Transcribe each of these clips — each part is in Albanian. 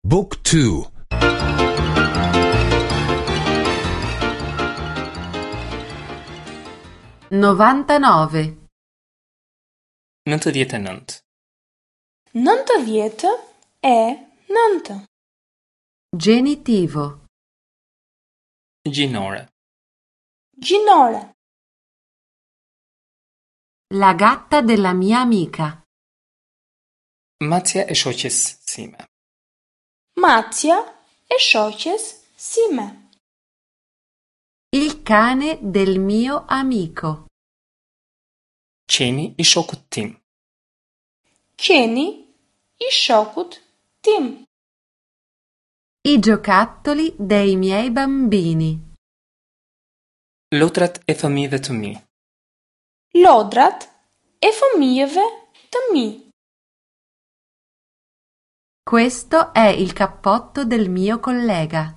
Book 2 99. 99. 99. Genitivo. Gjinore. Gjinore. La gatta della mia amica. Macja e shoqes sime. Macja e shoqes sime. Il cane del mio amico. Qeni i shokut tim. Qeni i shokut tim. I giocattoli dei miei bambini. Lodrat e fëmijëve të mi. Lodrat e fëmijëve të mi. Questo è il cappotto del mio collega.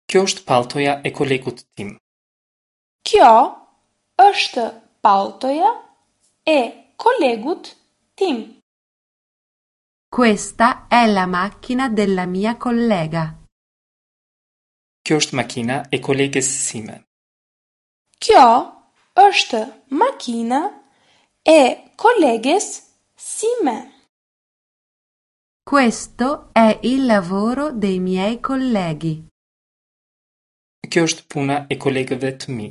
Kjo është palltoja e kolegut tim. Kjo është palltoja e kolegut tim. Questa è la macchina della mia collega. Kjo është makina e koleges sime. Kjo është makina e koleges sime. Questo è il lavoro dei miei colleghi. Kjo është puna e kolegëve të mi.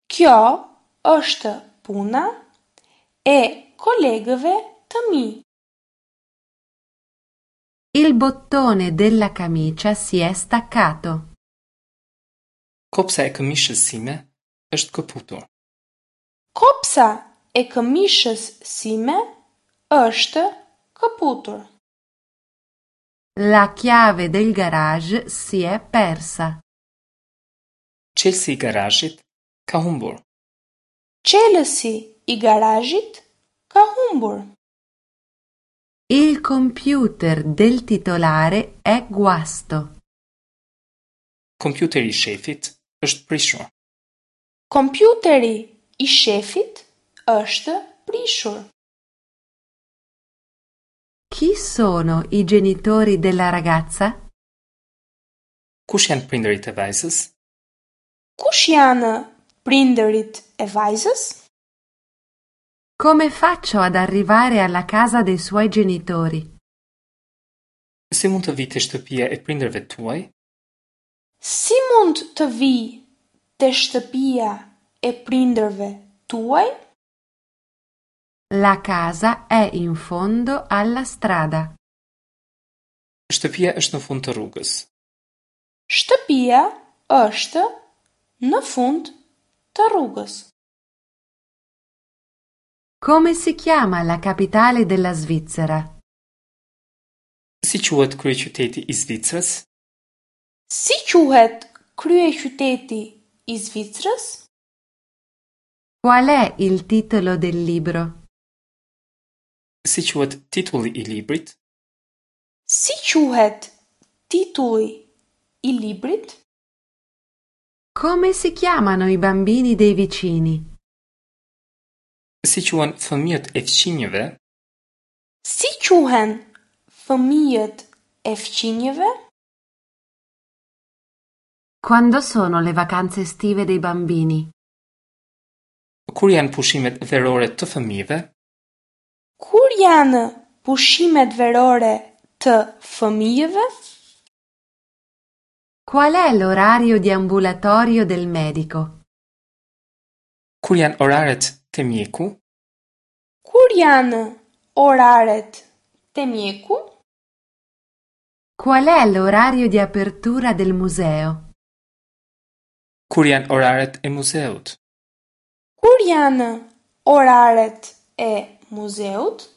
Kjo është puna e kolegëve të mi. Il bottone della camicia si è staccato. Kopsa e këmishës sime është këputur. Kopsa e këmishës sime është këputur. La chiave del garage si è persa. Çelësi i garazhit ka humbur. Çelësi i garazhit ka humbur. Il computer del titolare è guasto. Kompjuteri i shefit është prishur. Kompjuteri i shefit është prishur. Chi sono i genitori della ragazza? Kush janë prindërit e vajzës? Kush janë prindërit e vajzës? Come faccio ad arrivare alla casa dei suoi genitori? Si mund të vij te shtëpia e prindërve tuaj? Si mund të vij te shtëpia e prindërve tuaj? La casa è in fondo alla strada. Shtëpia është në fund të rrugës. Shtëpia është në fund të rrugës. Come si chiama la capitale della Svizzera? Si quhet kryeqyteti i Zvicrës? Si quhet kryeqyteti i Zvicrës? Qual è il titolo del libro? Si quhet titulli i librit? Si quhet titulli i librit? Come si chiamano i bambini dei vicini? Si quhen fëmijët e fqinjëve? Si quhen fëmijët e fqinjëve? Quando sono le vacanze estive dei bambini? Kur janë pushimet verore të fëmijëve? Kur janë pushimet verore të fëmijëve? Qual è l'orario di ambulatorio del medico? Kur janë oraret te mjeku? Kur janë oraret te mjeku? Qual è l'orario di apertura del museo? Kur janë oraret e muzeut? Kur janë oraret e muzeut?